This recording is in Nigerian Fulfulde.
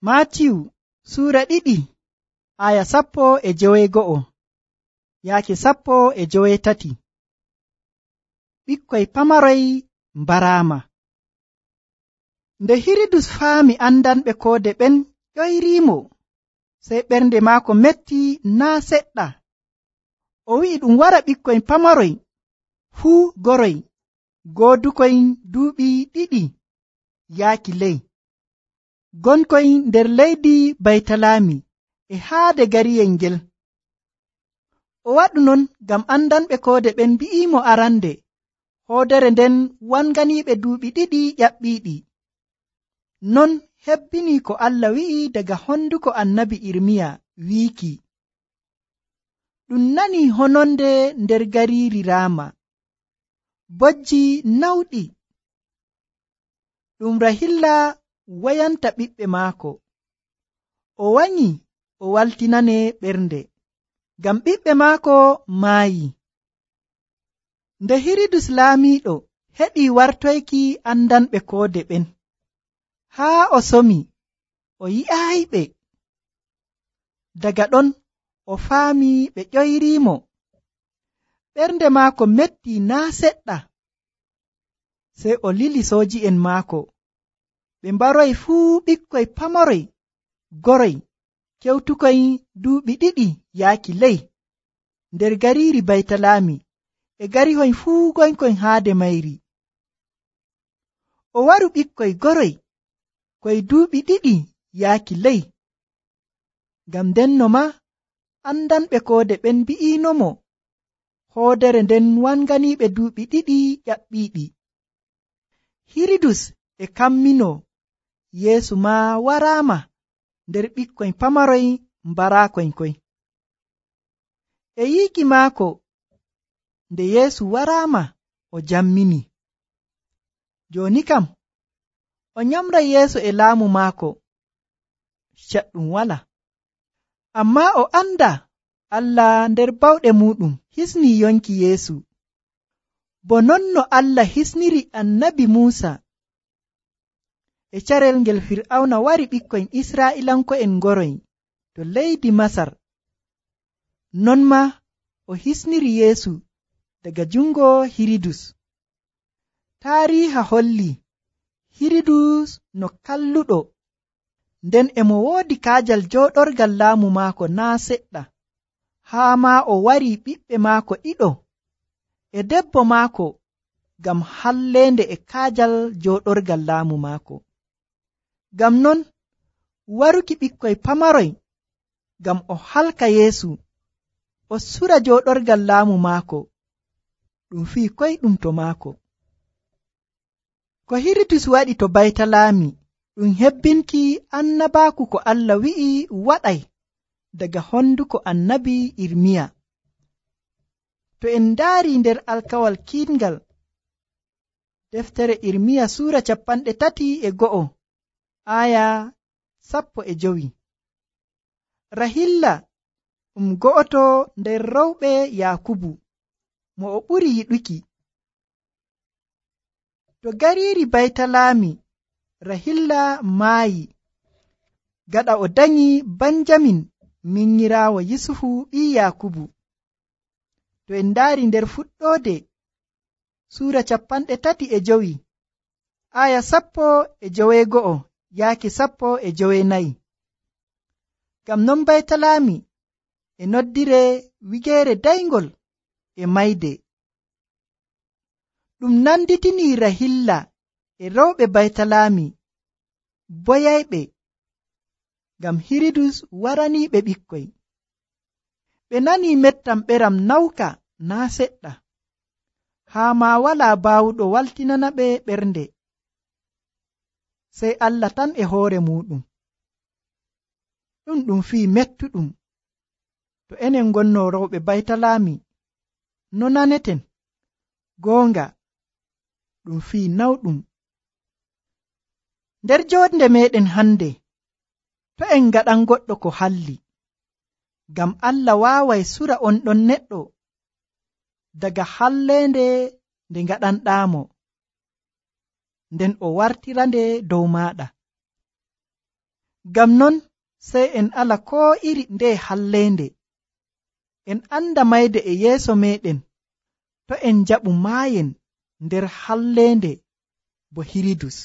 Maatiyu suura 2 aya 19 yaake 13. Ɓikkoy pamaroy mbaraama. Nde Hiridus faami andanɓe koode ɓen ƴoyriimo, sey ɓernde maako metti naa seɗɗa. O wi'i ɗum wara ɓikkoy pamaroy fuu goroy goodukoy duuɓi 2 yaaki ley, gonkoy nder leydi Baytalaami e haade gariyel ngel. O waɗu non ngam andanɓe koode ɓen mbi'iimo arande hoodere nden wanganiiɓe duuɓi 2 ƴaɓɓiiɗi. Non hebbini ko Allah wi'i daga honduko annabi Irmiya wiiki, ɗum nani hononde nder gariiri Raama, bojji nawɗi, ɗum Rahilla wayanta ɓiɓɓe maako. O wanyi o waltinane ɓernde, ngam ɓiɓɓe maako maayi. Nde Hiridus laamiiɗo heɗi wartoyki andanɓe koode ɓen, haa o somi o yi'aayiɓe. Daga ɗon o faami ɓe ƴoyriimo, ɓernde maako metti naa seɗɗa. Sey o lili sooji'en maako, ɓe mbaroy fuu ɓikkoy pamaroy goroy kewtukoy duuɓi 2 yaaki ley nder gariiri Baytalaami e garihoy fuu gonkoy haade mayri. O waru ɓikkoy goroy koy duuɓi 2 yaaki ley, ngam ndenno maa andanɓe koode ɓen mbi'iinomo hoodere nden wanganiiɓe duuɓi 2 ƴaɓɓiiɗi. Hiridus e kamminoo Yeesu maa waraama nder ɓikkoy pamaroy mbaraakoy koy. E yiiki maako nde Yeesu waraama o jammini. Jooni kam o nyamray yeeso e laamu maako, caɗɗum wala. Ammaa o andaa Allah nder bawɗe muuɗum hisnii yonki Yeesu, bo non no Allah hisniri annabi Muusa e carel ngel Fir'awna wari ɓikkoy Israa'iilanko'en ngoroy to leydi Masar. Non maa o hisniri Yeesu daga jungo Hiridus. Taariiha holli Hiridus no kalluɗo, nden e mo woodi kaajal jooɗorgal laamu maako naa seɗɗa, haa maa o wari ɓiɓɓe maako 2 e debbo maako ngam halleende e kaajal jooɗorgal laamu maako. Ngam non waruki ɓikkoy pamaroy ngam o halka Yeesu o sura jooɗorgal laamu maako, ɗum fii koyɗum to maako. Ko Hiridus waɗi to Baytalaami ɗum hebbinki annabaaku ko Allah wi'i waɗay daga honduko annabi Irmiya. To en ndaari nder alkawal kiiɗngal deftere Irmiya suura 31 aya 15. Rahilla go'oto nder rewɓe Yaakubu mo o ɓuri yiɗuki. To gariiri Baytalaami Rahilla maayi gaɗa o danyi Banjamin minyiraawo Yusufu ɓii Yaakubu. To en ndaari nder fuɗɗoode suura 35 aya 11 yaake 14. Ngam non Baytalaami e noddire wigeere dayngol e mayde. Ɗum nanditinii Rahilla e rewɓe Baytalaami boyayɓe, ngam Hiridus waraniiɓe ɓikkoy. Ɓe nanii mettam ɓeram nawka naa seɗɗa, haa maa walaa baawuɗo waltinanaɓe ɓernde, sey Allah tan e hoore muuɗum. Ɗum fii mettuɗum. To enen ngonnoo rewɓe Baytalaami, no naneten? Goonga, ɗum fii nawɗum. Nder joonde meeɗen hannde, to en ngaɗan goɗɗo ko halli, ngam Allah waaway sura on ɗon neɗɗo daga halleende nde ngaɗanɗaamo, nden o wartirande dow maaɗa. Ngam non sey en ala koo iri nde halleende. En anda mayde e yeeso meɗen to en njaɓu maayen nder halleende bo Hiridus.